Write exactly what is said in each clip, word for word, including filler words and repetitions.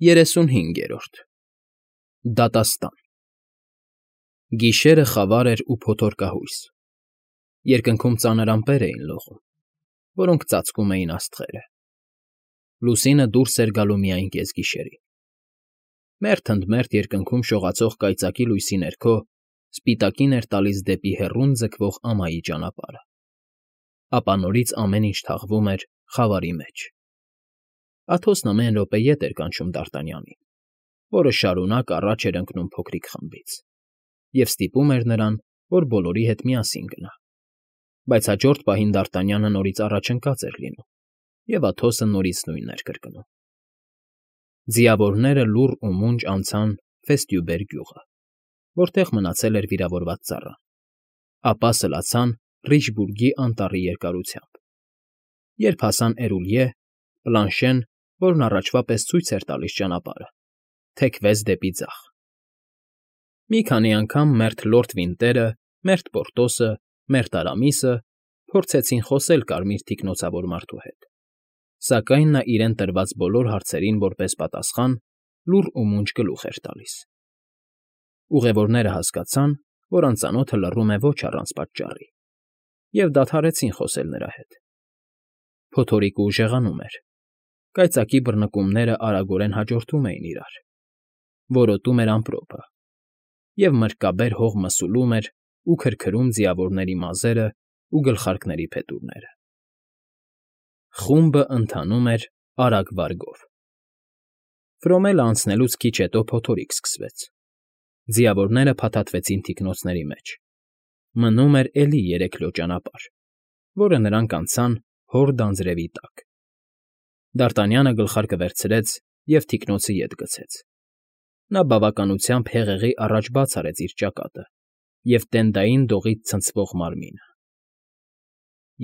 Երեսունհինգերորդ Դատաստան Գիշերը խավար էր ու փոթորկահույս, երկնքում ծանր ամպեր էին լողում, որոնք ծածկում էին աստղերը, լուսինը դուրս էր գալու միայն կեսգիշերին, մերթ ընդ մերթ երկնքում շողացող կայծակի լույսի ներքո սպիտակին էր տալիս դեպի հեռուն ձգվող ամայի ճանապարհը, ապա նորից ամեն ինչ թաղվում էր խավարի մեջ. Աթոսն ամեն րոպե ետ էր կանչում Դարտանյանին, որը շարունակ առաջ էր ընկնում փոքրիկ խմբից, և ստիպում էր նրան, որ բոլորի հետ միասին գնա, բայց հաջորդ պահին Դարտանյանը նորից առաջընկած էր լինում, և Աթոսը նորից նույնն էր կրկնում. Ձիավորները լուռ ու մունջ անցան Ֆեստյուբեր գյուղը, որտեղ մնացել էր վիրավորված ծառան, ապա սլացան Ռիչբուրգի անտառի երկարությամբ, երբ հասան Էրուլյե, Պլանշեն, որն առաջվա պես ցույց էր տալիս ճանապարհը, թեքվեց դեպի ձախ. Մի քանի անգամ մերթ լորդ Վինտերը, մերթ Պորտոսը, մերթ Արամիսը փորձեցին խոսել կարմիր թիկնոցավոր մարդու հետ, սակայն նա իրեն տրված բոլոր հարցերին որպես պատասխան լուռ ու մունջ գլուխ էր տալիս. Ուղևորները հասկացան, որ անծանոթը լռում է ոչ առանց պատճառի, և դադարեցին խոսել նրա հետ. Փոթորիկը ուժեղանում էր, կայծակի բռնկումները արագորեն հաջորդում էին իրար, որոտում էր ամպրոպը, և մրրկաբեր հող մսուլում էր ու քրքրում ձիավորների մազերն ու գլխարկների փետուրները. Խումբը ընթանում էր արագ վարգով. Ֆրոմելը անցնելուց քիչ հետո փոթորիկ սկսվեց, ձիավորները փաթաթվեցին թիկնոցների մեջ, մնում էր էլի երեքլո ճանապարհ, որը նրանք անցան հոր դանձրևի տակ. Դարտանյանը գլխարկը վերցրեց և թիկնոցը ետ գցեց. Նա բավականությամբ հեղեղի առաջ բաց արեց իր ճակատը և տենդային դողից ցնցվող մարմինը.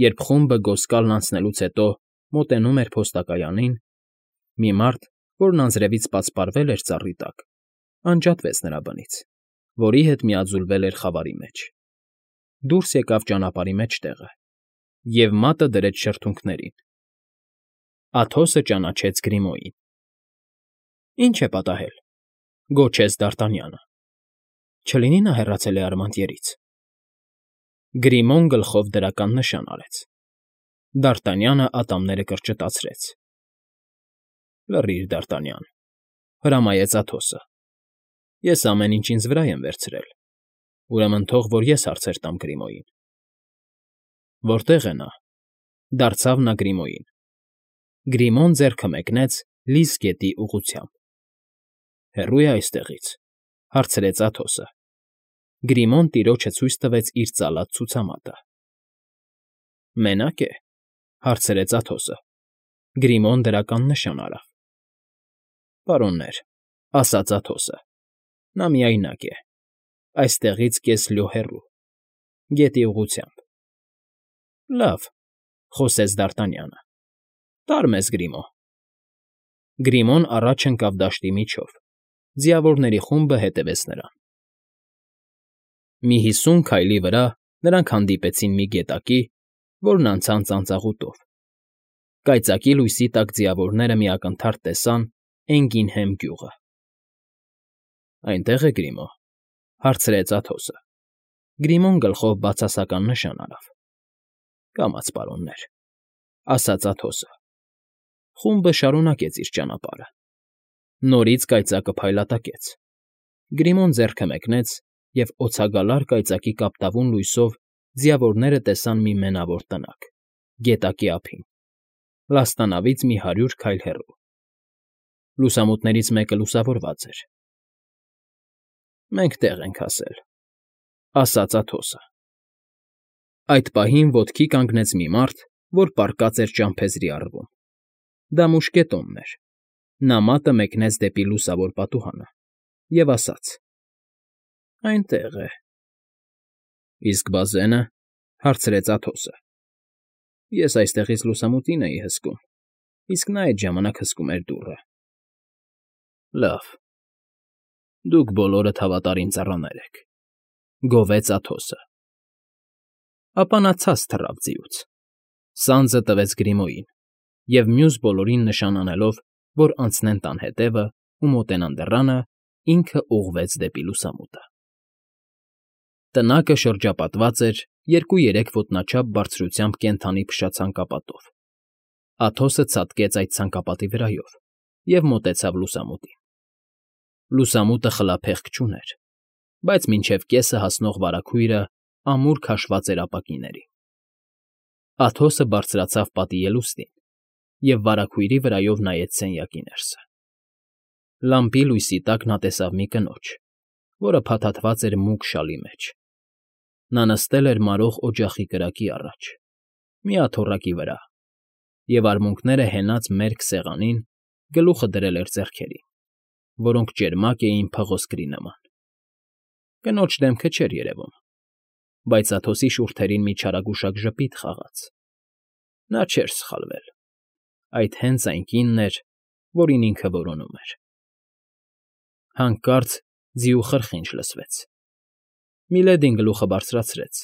Երբ խումբը գոսկալն անցնելուց հետո մոտենում էր փոստակայանին, մի մարդ, որն անձրևից պատսպարվել էր ծառի տակ, անջատվեց նրա բնից, որի հետ միաձուլվել էր խավարի մեջ, դուրս եկավ ճանապարհի մեջտեղը և մատը դրեց շրթունքներին. Աթոսը ճանաչեց Գրիմոյին։ ֊ Ի՞նչ է պատահել,֊ գոչեց Դարտանյանը։ Չլինի նա հեռացել է Արմանտյերից։ Գրիմոն գլխով դրական նշան արեց. Դարտանյանը ատամները կրճտացրեց։ ֊ Լռիր, Դարտանյան,֊ հրամայեց Աթոսը։ Ես ամեն ինչ ինձ վրա եմ վերցրել, ուրեմն թող որ ես հարցեր տամ Գրիմոյին։ ֊ Որտե՞ղ է նա,֊ դարձավ նա Գրիմոյին։ Գրիմոն ձեռքը մեկնեց Լիզ գետի ուղղությամբ։ ֊ Հեռո՞ւ է այստեղից,֊ հարցրեց Աթոսը։ Գրիմոն տիրոջը ցույց տվեց իր ծալած ցուցամատը։ ֊ Մենա՞կ է,֊ հարցրեց Աթոսը։ Գրիմոն դրական նշան արավ։ ֊ Պարոններ,֊ ասաց Աթոսը,֊ նա միայնակ է, այստեղից կես լյո հեռու, գետի ուղղությամբ։ ֊ Լավ,֊ խոսեց Դարտանյանը,֊ տար մեզ, Գրիմո։ Գրիմոն առաջ ընկավ դաշտի միջով, ձիավորների խումբը հետևեց նրան։ Մի հիսուն քայլի վրա նրանք հանդիպեցին մի գետակի, որն անցան ծանծաղուտով։ Կայծակի լույսի տակ ձիավորները մի ակնթարթ տեսան Էնգինհեմ գյուղը։ ֊ Այնտե՞ղ է Գրիմո,֊ հարցրեց Աթոսը։ Գրիմոն գլխով բացասական նշան արավ։ ֊ Կամաց, պարոններ,֊ ասաց Աթոսը։ Խումբը շարունակեց իր ճանապարհը։ Նորից կայծակը փայլատակեց։ Գրիմոն ձեռքը մեկնեց, և օցագալար կայծակի կապտավուն լույսով ձիավորները տեսան մի մենավոր տնակ, գետակի ափին, լաստանավից մի հարյուր քայլ հեռու։ Լուսամուտներից մեկը լուսավորված էր։ ֊ Մենք տեղ ենք հասել,֊ ասաց Աթոսը։ Այդ պահին ոտքի կանգնեց մի մարդ, որ պառկած էր ճամփեզրի առվում։ Դա մուշկետոնն էր։ Նա մատը մեկնեց դեպի լուսավոր պատուհանը և ասաց. Այնտեղ է։ ֊ Իսկ բազե՞նը,֊ հարցրեց Աթոսը։ Ես այստեղից լուսամուտին էի հսկում, իսկ նա այդ ժամանակ հսկում էր դուռը։ ֊ Լավ, դուք բոլորդ հավատարիմ ծառաներ եք,֊ գովեց Աթոսը։ Ապա նա ցած թռավ ձիուց, սանձը տվեց Գրիմոյին և մյուս բոլորին նշան անելով, որ անցնեն տան հետևը, ու մոտենան դռանը, ինքը ուղղվեց դեպի լուսամուտը։ Տնակը շրջապատված էր երկու֊երեք ոտնաչափ բարձրությամբ կենդանի փշացանկապատով։ Աթոսը ցատկեց այդ ցանկապատի վրայով և մոտեցավ լուսամուտին։ Լուսամուտը խլափեղկ չուներ, բայց մինչև կեսը հասնող վարագույրը ամուր քաշված էր ապակիներին։ Աթոսը բարձրացավ պատի ելուստին և վարագույրի վրայով նայեց սենյակի ներսը։ Լամպի լույսի տակ նա տեսավ մի կնոջ, որը փաթաթված էր մուգ շալի մեջ։ Նա նստել էր մարող օջախի կրակի առաջ, մի աթոռակի վրա, և արմունկները հենած մերկ սեղանին գլուխը դրել էր ձեռքերին, որոնք ճերմակ էին փղոսկրի նման։ Կնոջ դեմքը չէր երևում, բայց Աթոսի շուրթերին մի չարագուշակ ժպիտ խաղաց։ Նա չէր սխալվել. այդ հենց այն կինն էր, որին ինքը որոնում էր։ Հանկարծ ձիու խրխինջ լսվեց։ Միլեդին գլուխը բարձրացրեց,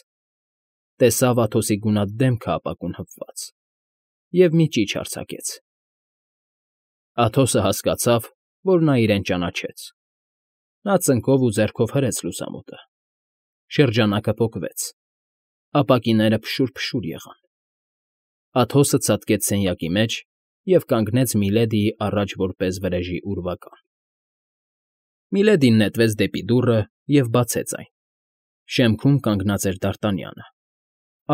տեսավ Աթոսի գունատ դեմքը ապակուն հպված և մի ճիչ արձակեց։ Աթոսը հասկացավ, որ նա իրեն ճանաչեց։ Նա ծնկով ու ձեռքով հրեց լուսամուտը։ Շրջանակը պոկվեց, ապակիները փշուր֊փշուր եղան։ Աթոսը ցատկեց սենյակի մեջ և կանգնեց Միլեդիի առաջ որպես վրեժի ուրվական։ Միլեդին նետվեց դեպի դուռը և բացեց այն։ Շեմքում կանգնած էր Դարտանյանը,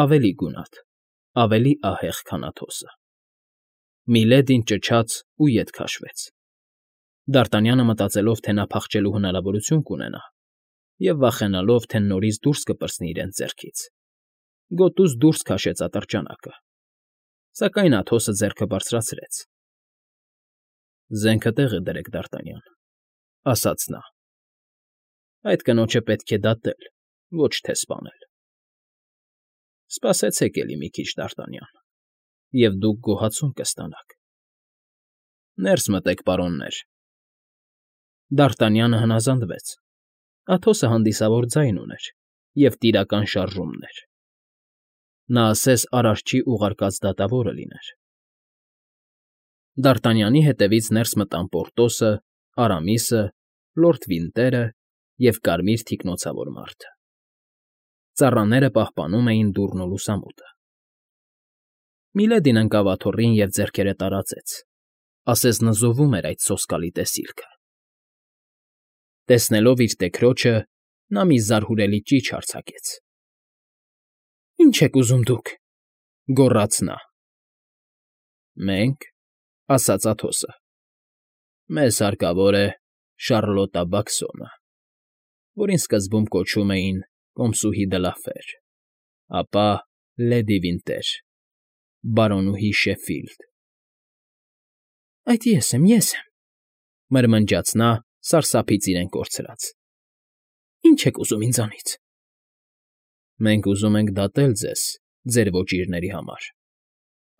ավելի գունատ, ավելի ահեղ, քան Աթոսը։ Միլեդին ճչաց ու ետ քաշվեց։ Դարտանյանը, մտածելով, թե նա փախչելու հնարավորություն կունենա, և վախենալով, թե նորից դուրս կպրծնի իրենց ձեռքից, գոտուց դուրս քաշեց ատրճանակը, սակայն Աթոսը ձեռքը բարձրացրեց։ ֊ Զենքը տեղը դրեք, Դարտանյան, ֊ ասաց նա։ ֊ Այդ կնոջը պետք է դատել, ոչ թե սպանել։ ֊ Սպասեցեք էլի մի քիչ, Դարտանյան, և դուք գոհացում կստանաք։ Ներս մտեք, պարոններ։ Դարտանյանը հնազանդվեց։ Աթոսը հանդիսավոր ձայն ուներ և տիրական շարժումներ։ Նա ասես Արարչի ուղարկած դատավորը լիներ։ Դարտանյանի հետևից ներս մտան Պորտոսը, Արամիսը, լորդ Վինտերը և կարմիր թիկնոցավոր մարդը։ Ծառաները պահպանում էին դուռն ու լուսամուտը։ Միլեդին ընկավ աթոռին և ձեռքերը տարածեց, ասես նզովում էր այդ սոսկալի տեսիլքը։ Տեսնելով իր տեքրոջը, նա մի զարհուրելի ճիչ արձակեց։ ֊ Ի՞նչ եք ուզում դուք,֊ գոռաց նա։ ֊ Մենք,֊ ասաց Աթոսը,֊ մեզ հարկավոր է Շառլոտա Բաքսոնը, որին սկզբում կոչում էին Կոմսուհի դլաֆեր, ապա լեդի Վինտեր, բարոնուհի Շեֆիլդ։ ֊ Այդ ես եմ, ես եմ,֊ մրմնջաց նա, սարսափից իրեն կորցրած։ ֊ Ի՞նչ եք ուզում ինձանից։ ֊ Մենք ուզում ենք դատել ձեզ ձեր ոճիրների համար,֊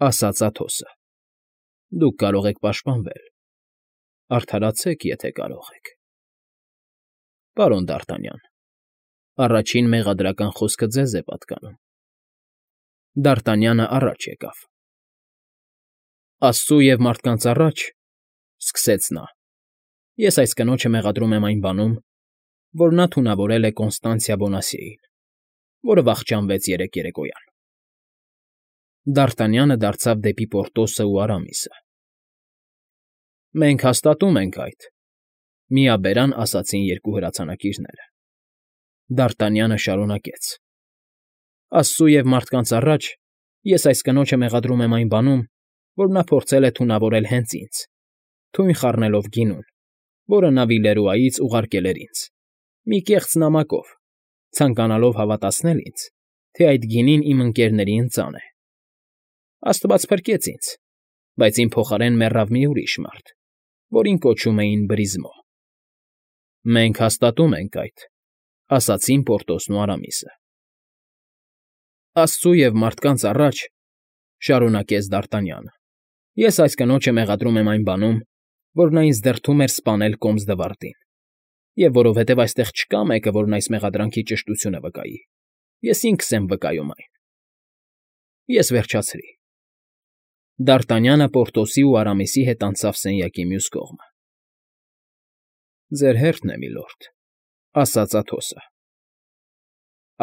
ասաց Աթոսը։ ֊ Դուք կարող եք պաշտպանվել, արդարացեք, եթե կարող եք։ ֊ Պարոն Դարտանյան, առաջին մեղադրական խոսքը ձեզ է պատկանում։ Դարտանյանը առաջ եկավ։ ֊ Աստծու և մարդկանց առաջ,֊ սկսեց նա,֊ ես այս կնոջը մեղադրում եմ այն բանում, որ նա թունավորել է Կոնստանցիա Բոնասիեին, որը վախճանվեց երեկ երեկոյան։ Դարտանյանը դարձավ դեպի Պորտոսն ու Արամիսը։ ֊ Մենք հաստատում ենք այդ,֊ միաբերան ասացին երկու հրացանակիրները։ Դարտանյանը շարունակեց. ֊ Աստծու և մարդկանց առաջ ես այս կնոջը մեղադրում եմ այն բանում, որ նա փորձել է թունավորել հենց ինձ, թույն խառնելով գինուն, որը նա Վիլերուայից ուղարկել էր ինձ, մի կեղծ նամակով, ցանկանալով հավատացնել ինձ, թե այդ գինին իմ ընկերների ընծան է։ Աստված փրկեց ինձ, բայց իմ փոխարեն մեռավ մի ուրիշ մարդ, որին կոչում էին Բրիզմո։ ֊ Մենք հաստատում ենք այդ,֊ ասացին Պորտոսն ու Արամիսը։ ֊ Աստծու և մարդկանց առաջ,֊ շարունակեց Դարտանյանը,֊ ես այս կնոջը մեղադրում եմ այն բանում, որ նա ինձ դրդում էր սպանել Կոմս֊դ'Վարդին, և որովհետև այստեղ չկա մեկը, որն այս մեղադրանքի ճշտությունը վկայի, ես ինքս եմ վկայում այն։ Ես վերջացրի։ Դարտանյանը Պորտոսի ու Արամիսի հետ անցավ սենյակի մյուս կողմը։ Ձեր հերթն է, միլորդ,֊ ասաց Աթոսը։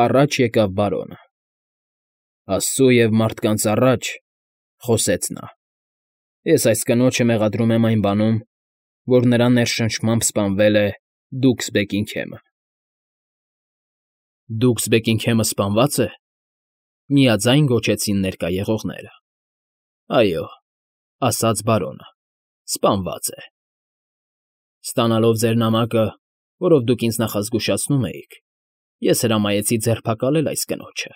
Առաջ եկավ բարոնը։ Աստծու և մարդկանց առաջ,֊ խոսեց նա,֊ ես այս կնոջը մեղադրում եմ այն բանում, որ նրա ներշնչմամբ սպանվել է Դուքս Բեքինգհեմը։ ֊ Դուքս Բեքինգհեմը սպանվա՞ծ է,֊ միաձայն գոչեցին ներկա եղողները։ ֊ Այո,֊ ասաց բարոնը,֊ սպանված է։ Ստանալով ձեր նամակը, որով դուք ինձ նախազգուշացնում էիք, ես հրամայեցի ձերբակալել այս կնոջը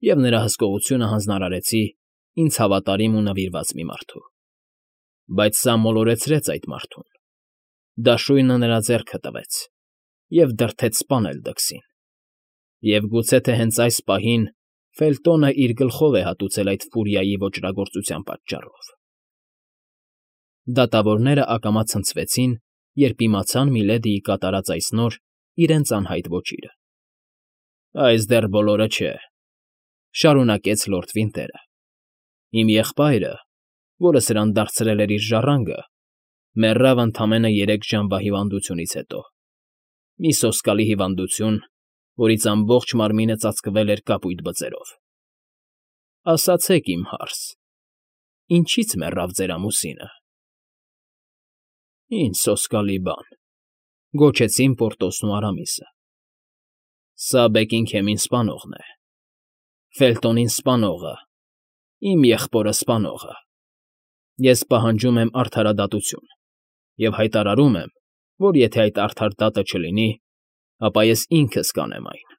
և նրա հսկողությունը հանձնարարեցի ինձ հավատարիմ ու նվիրված մի մարդու։ Բայց սա մոլորեցրեց այդ մարդուն, դաշույնը նրա ձեռքը տվեց և դրդեց սպանել Դքսին։ Եվ գուցե թե հենց այս պահին Ֆելտոնը իր գլխով է հատուցել այդ ֆուրիայի ոճրագործության պատճառով։ Դատավորները ակամա ցնցվեցին, երբ իմացան Միլեդիի կատարած այս նոր, իրենց անհայտ ոճիրը։ «Այս դեռ բոլորը չէ,֊ շարունակեց լորդ Վինտերը,֊ իմ եղբայրը, որը սրան դարձրել էր իր ժառանգը, մեռավ ընդամենը երեք ժամվա հիվանդությունից հետո, մի սոսկալի հիվանդություն, որից ամբողջ մարմինը ծածկվել էր կապույտ բծերով։ Ասացեք, իմ հարս, ինչի՞ց մեռավ ձեր ամուսինը։ ֊ Ինչ սոսկալի բան,֊ գոչեցին Պորտոսն ու Արամիսը։ Սա Բեքինգհեմին սպանողն է, Ֆելտոնին սպանողը, իմ եղբորը սպանողը։ Ես պահանջում եմ արդարադատություն և հայտարարում եմ, որ եթե այդ արդար դատը չլինի, ապա ես ինքս կանեմ այն։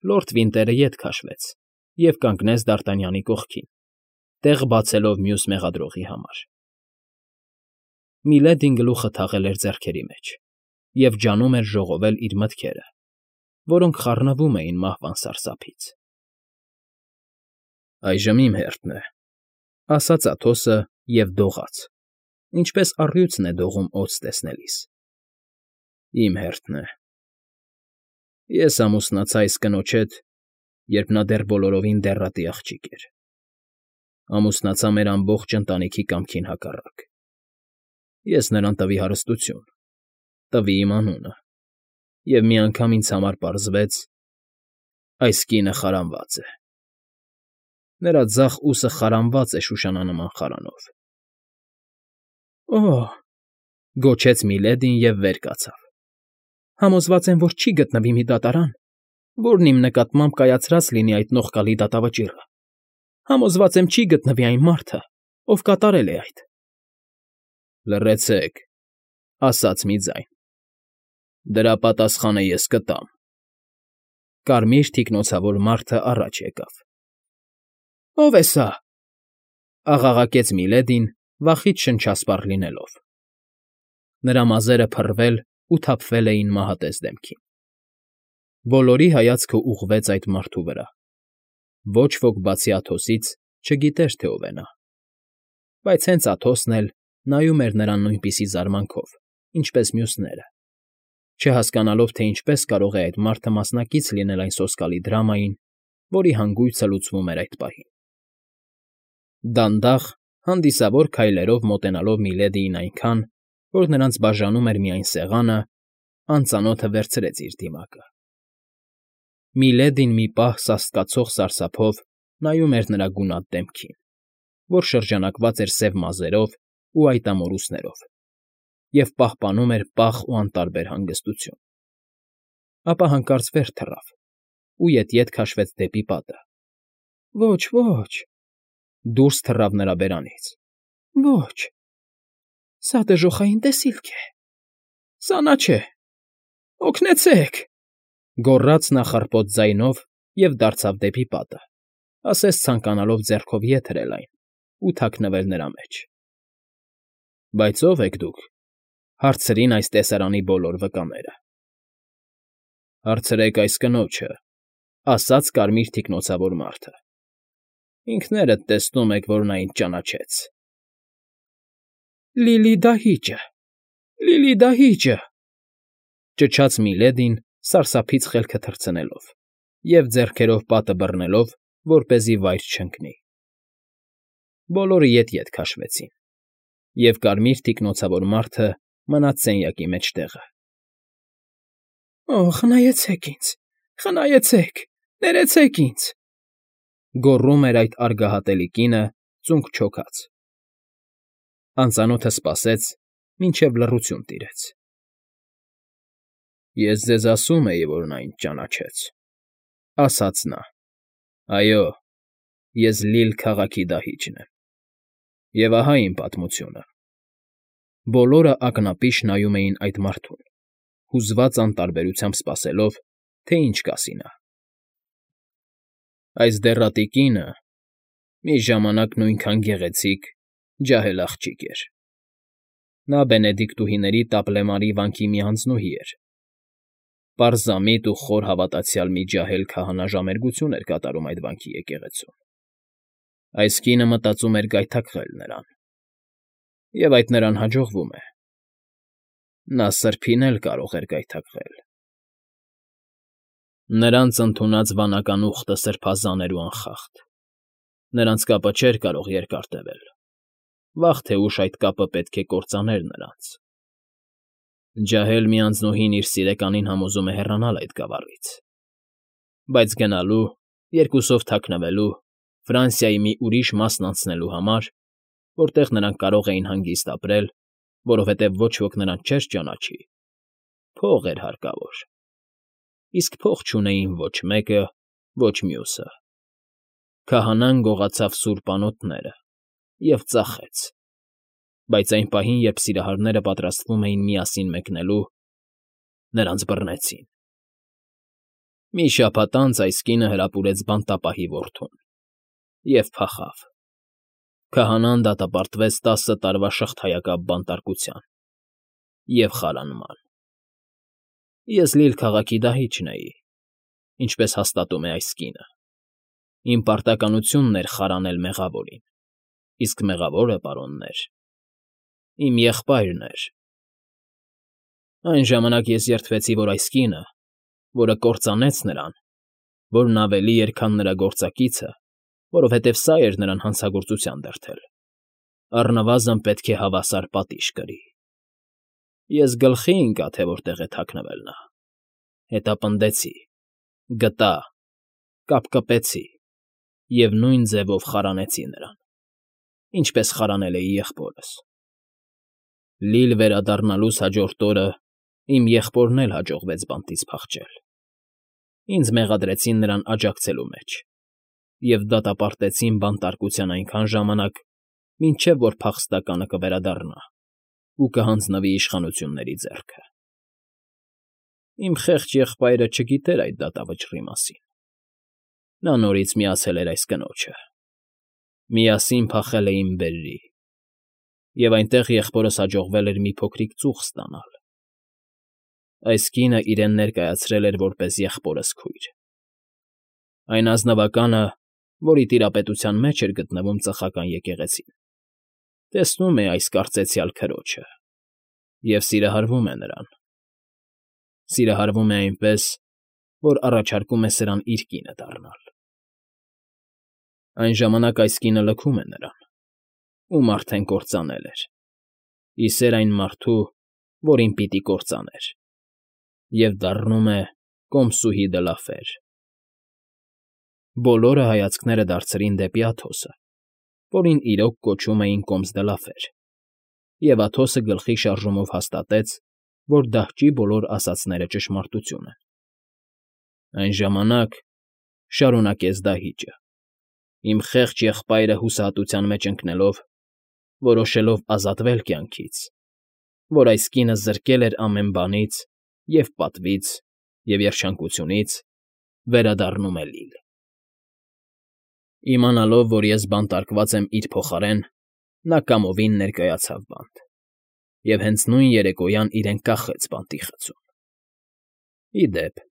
Լորդ Վինտերը ետ քաշվեց և կանգնեց Դ'Արտանյանի կողքին, տեղ բացելով մյուս մեղադրողի համար։ Միլեդին գլուխը թաղել էր ձեռքերի մեջ և ջանում էր ժողովել իր մտքերը, որոնք խառնվում էին մահվան սարսափից։ ֊ Այժմ իմ հերթն է,֊ ասաց Աթոսը և դողաց, ինչպես առյուծն է դողում օձ տեսնելիս։ ֊ Իմ հերթն է։ Ես ամուսնացա այս կնոջ հետ, երբ նա դեռ բոլորովին դեռատի աղջիկ էր։ Ամուսնացա մեր ամբողջ ընտանիքի կամքին հակառակ։ Ես նրան տվի հարստություն, տվի իմ անունը, և մի անգամ ինձ համար պարզվեց. այս կինը խարանված է։ Նրա ձախ ուսը խարանված է շուշանանման խարանով։ ֊ Օ՜հ,֊ գոչեց Միլեդին և վեր կացավ,֊ համոզված եմ, որ չի գտնվի մի դատարան, որն իմ նկատմամբ կայացրած լինի այդ նողկալի դատավճիռը։ Համոզված եմ, չի գտնվի այն մարդը, ով կատարել է այդ։ ֊ Լռեցեք,֊ ասաց մի ձայն,֊ դրա պատասխանը ես կտամ։ Կարմիր թիկնոցավոր մարդը առաջ եկավ։ ֊ Ո՞վ է սա,֊ աղաղակեց Միլեդին, վախից շնչասպառ լինելով։ Նրա մազերը փռվել ու թափվել էին մահատես դեմքին։ Բոլորի հայացքն ուղղվեց այդ մարդու վրա։ Ոչ ոք, բացի Աթոսից, չգիտեր, թե ով է նա։ Բայց հենց Աթոսն էլ նայում էր նրան նույնպիսի զարմանքով, ինչպես մյուսները, չհասկանալով, թե ինչպես կարող է այդ մարդը մասնակից լինել այն սոսկալի դրամային, որի հանգույցը լուծվում էր այդ պահին։ Դանդաղ, հանդիսավոր քայլերով մոտենալով Միլեդիին այնքան, որ նրանց բաժանում էր միայն սեղանը, անծանոթը վերցրեց իր դիմակը։ Միլեդին մի պահ սաստկացող սարսափով նայում էր նրա գունատ դեմքին, որ շրջանակված էր սև մազերով ու այտամորուսներով, և պահպանում էր պաղ ու անտարբեր հանգստություն։ Ապա հանկարծ վեր թռավ ու ետ֊ետ քաշվեց դեպի պատը։ ֊ Ոչ, ոչ,֊ դուրս թռավ նրա բերանից,֊ ոչ, սա դժոխային տեսիլք է, սա նա չէ, օգնեցե՜ք,֊ գոռաց նա խռպոտ ձայնով և դարձավ դեպի պատը, ասես ցանկանալով ձեռքով ետ հրել այն ու թաքնվել նրա մեջ։ ֊ Բայց ո՞վ եք դուք,֊ հարցրին այս տեսարանի բոլոր վկաները։ ֊ Հարցրեք այս կնոջը,֊ ասաց կարմիր թիկնոցավոր մարդը։ Ինքներդ տեսնում եք, որ նա ինձ ճանաչեց։ ֊ Լիլի դահիճը, Լիլի դահիճը,֊ ճչաց Միլեդին, սարսափից խելքը թռցնելով և ձեռքերով պատը բռնելով, որպեսզի վայր չընկնի։ Բոլորը ետ֊ետ քաշվեցին, և կարմիր թիկնոցավոր մարդը մնաց սենյակի մեջ տեղը։ ֊ Օ՜, խնայեցեք ինձ, խնայեցեք, ներեցեք ինձ,֊ գոռում էր այդ արգահատելի կինը, ծունկ չոքած։ Անծանոթը սպասեց, մինչև լռություն տիրեց։ ֊ Ես ձեզ ասում էի, որ նա ինձ ճանաչեց,֊ ասաց նա։֊ Այո, ես Լիլ քաղաքի դահիճն եմ։ Եվ ահա իմ պատմությունը։ Բոլորը ակնապիշ նայում էին այդ մարդուն, հուզված անտարբերությամբ սպասելով, թե ինչ կասի նա։ Այս դեռատի կինը մի ժամանակ նույնքան գեղեցիկ, ջահել աղջիկ էր։ Նա բենեդիկտուհիների Տապլեմարի վանքի մի անձնուհի էր։ Պարզամիտ ու խոր հավատացյալ մի ջահել քահանա ժամերգություն էր կատարում այդ վանքի եկեղեցում։ Այս կինը մտածում էր գայթակղել նրան։ Եվ այդ նրան հաջողվում է։ Նա սրբին էլ կարող էր գայթակղել։ Նրանց ընդունած վանական ուխտը սրբազան էր ու անխախտ։ Նրանց կապը չէր կարող երկար տևել։ Վաղ թե ուշ այդ կապը պետք է կործաներ նրանց։ Ջահել մի անձնուհին իր սիրեկանին համոզում է հեռանալ այդ գավառից։ Բայց գնալու, երկուսով թաքնվելու, Ֆրանսիայի մի ուրիշ մասն անցնելու համար, որտեղ նրանք կարող էին հանգիստ ապրել, որովհետև ոչ ոք նրանց չէր ճանաչի, փող էր հարկավոր։ Իսկ փող չունեին ոչ մեկը, ոչ մյուսը։ Քահանան գողացավ սուրբ անոթները և ծախեց։ Բայց այն պահին, երբ սիրահարները պատրաստվում էին միասին մեկնելու, նրանց բռնեցին։ Մի շաբաթ անց այս կինը հրապուրեց բանտապահի որդուն և փախավ։ Քահանան դատապարտվեց տասը տարվա շղթայակապ բանտարկության և խարանման։ Ես Լիլ քաղաքի դահիճն էի, ինչպես հաստատում է այս կինը։ Իմ պարտականությունն էր խարանել մեղավորին, իսկ մեղավորը, պարոններ, իմ եղբայրն էր։ Այն ժամանակ ես երդվեցի, որ այս կինը, որը կործանեց նրան, որն ավելի էր, քան նրա գործակիցը, որովհետև սա էր նրան հանցագործության դրդել, առնվազն պետք է հավասար պատիժ կրի։ Ես գլխի ընկա, թե որտեղ է թաքնվել նա։ Հետապնդեցի, գտա, կապկպեցի և նույն ձևով խարանեցի նրան, ինչպես խարանել էի եղբորս։ Լիլ վերադառնալուս հաջորդ օրը իմ եղբորն էլ հաջողվեց բանտից փախչել։ Ինձ մեղադրեցին նրան աջակցելու մեջ և դատապարտեցին բանտարկության այնքան ժամանակ, մինչև որ փախստականը կվերադառնա ու կհանձնվի իշխանությունների ձեռքը։ Իմ խեղճ եղբայրը չգիտեր այդ դատավճռի մասին։ Նա նորից միացել էր այս կնոջը։ Միասին փախել էին Բերրի, և այնտեղ եղբորս հաջողվել էր մի փոքրիկ ծուխ ստանալ։ Այս կինը իրեն ներկայացրել էր որպես եղբորս քույր։ Այն ազնվականը, որի տիրապետության մեջ էր գտնվում ծխական եկեղեցին, տեսնում է այս կարծեցյալ քրոջը և սիրահարվում է նրան։ Սիրահարվում է այնպես, որ առաջարկում է սրան իր կինը դառնալ։ Այն ժամանակ այս կինը լքում է նրան, ում արդեն կործանել էր, ի սեր այն մարդու, որին պիտի կործաներ, և դառնում է կոմսուհի Դլաֆեր։ Բոլորը հայացքները դարձրին դեպի Աթոսը, որին իրոք կոչում էին կոմս Դլաֆեր, և Աթոսը գլխի շարժումով հաստատեց, որ դահճի բոլոր ասածները ճշմարտություն են։ Այն ժամանակ, շարունակեց դահիճը, իմ խեղճ եղբայրը հուսահատության մեջ ընկնելով, որոշելով ազատվել կյանքից, որ այս կինը զրկել էր ամեն բանից, և պատվից, և երջանկությունից, վերադառնում է Լիլ։ Իմանալով, որ ես բանտարկված եմ իր փոխարեն, նա կամովին ներկայացավ բանտ և հենց նույն երեկոյան իրեն կախեց բանտի խցում։ Ի դեպ,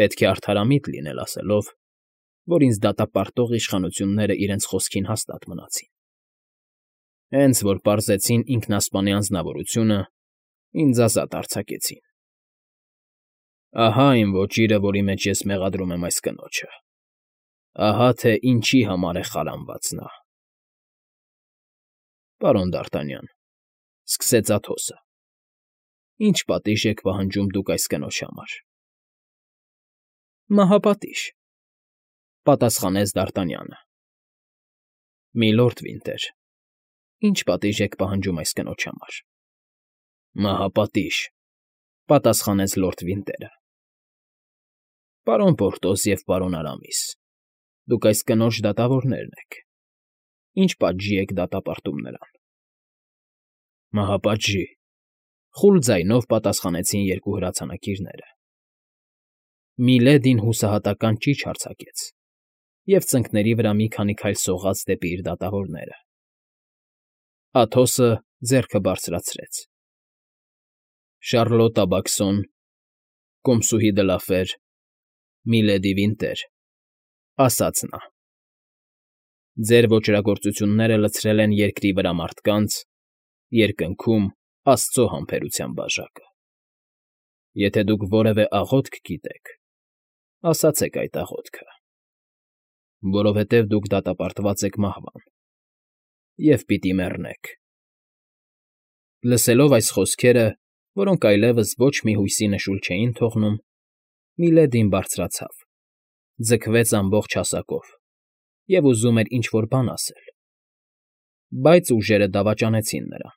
պետք է արդարամիտ լինել ասելով, որ ինձ դատապարտող իշխանությունները իրենց խոսքին հաստատ մնացին։ Հենց որ պարզեցին ինքնասպանի անձնավորությունը, ինձ ազատ արձակեցին։ Ահա այն ոճիրը, որի մեջ ես մեղադրում եմ այս կնոջը, ահա թե ինչի համար է խարանված նա։ ֊ Պարոն Դ'Արտանյան,֊ սկսեց Աթոսը,֊ Ինչ պատիժ եք պահանջում դուք այս կնոջ համար։ ֊ Մահապատիժ, ֊ պատասխանեց Դ'Արտանյանը։ ֊ Միլորդ Վինտեր, ինչ պատիժ եք պահանջում այս կնոջ համար։ ֊ Մահապատիժ, ֊ պատասխանեց լորդ Վինտերը։ ֊ Պարոն Պորտոս և պարոն Արամիս, դուք այս կնոջ դատավորներն եք, ինչ պատժի եք դատապարտում նրան։ ֊ Մահապատժի, ֊ խուլ ձայնով պատասխանեցին երկու հրացանակիրները։ Միլեդին հուսահատական ճիչ արձակեց և ծնկների վրա մի քանի քայլ սողաց դեպի իր դատավորները։ Աթոսը ձեռքը բարձրացրեց։ ֊ Շառլոտա Բաքսոն, կոմսուհի Դլաֆեր, միլեդի Վինտեր, ֊ ասաց նա, ֊ ձեր ոճրագործությունները լցրել են երկրի վրա մարդկանց, երկնքում Աստծո համբերության բաժակը։ Եթե դուք որևէ աղոթք գիտեք, ասացեք այդ աղոթքը, որովհետև դուք դատապարտված եք մահվան և պիտի մեռնեք։ Լսելով այս խոսքերը, որոնք այլևս ոչ մի հույսի նշույլ չէին թողնում, Միլեդին բարձրացավ, ձգվեց ամբողջ հասակով և ուզում էր ինչ֊որ բան ասել, բայց ուժերը դավաճանեցին նրան։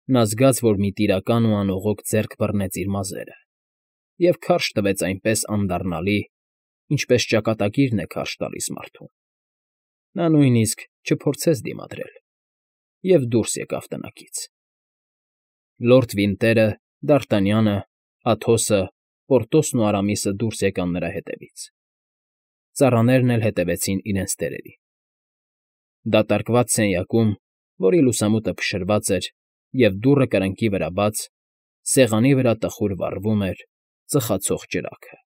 Նա զգաց, որ մի տիրական ու անողոք ձեռք բռնեց իր մազերը և քարշ տվեց այնպես անդառնալի, ինչպես ճակատագիրն է քարշ տալիս մարդուն։ Նա նույնիսկ չփորձեց դիմադրել և դուրս եկավ տնակից։ Լորդ Վինտերը, Դ'Արտանյանը, Աթոսը, Պորտոսն ու Արամիսը դուրս եկան նրա հետևից։ Ծառաներն էլ հետևեցին իրենց տերերին։ Դատարկված սենյակում, որի լուսամուտը փշրված էր և դուռը կրկնակի վրա բաց, սեղանի վրա տխուր վառվում էր ծխացող ճրագը։